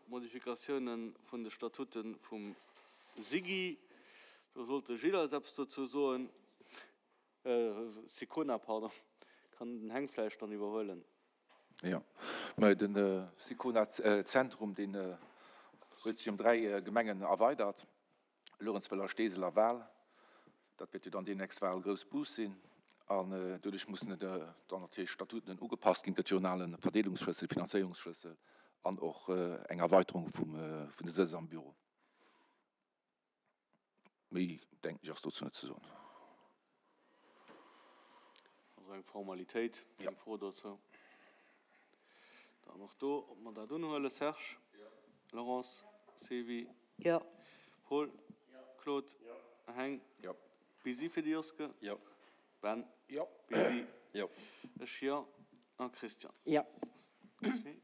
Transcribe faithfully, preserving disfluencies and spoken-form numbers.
Modifikatioune vun de Statute vum SIGI. Do sollt de Gilles eis eppes dozou soen. Sicona, pardon. Kann den Heng vläicht dann iwwerhuelen. Jo, mä de Sicona-Zentrum, deen huet sech ëm dräi Gemengen erweidert, Luerenzweiler, Steesel a Wal. Dat wäert jo dann deemnächst Wal Groussbus sinn. An doduerch mussen dann natierlech d'Statuten ugepasst ginn. Et gëtt jo en ale Verdeelungsschlëssel, Finanzéierungsschlëssel an och eng Erweiterung vum, vun de Sëtz am Büro. Méi, denken ech, ass dozou net ze soen. Also eng Formalitéit, keng Fro dozou. Dann och do, ob mer dat unhuelen. Serge? Laurence? Sylvie? Paul? Claude? Heng? Busy fir de Joske? Ben? Busy? Ech jo. A Christian? Jo. Okay.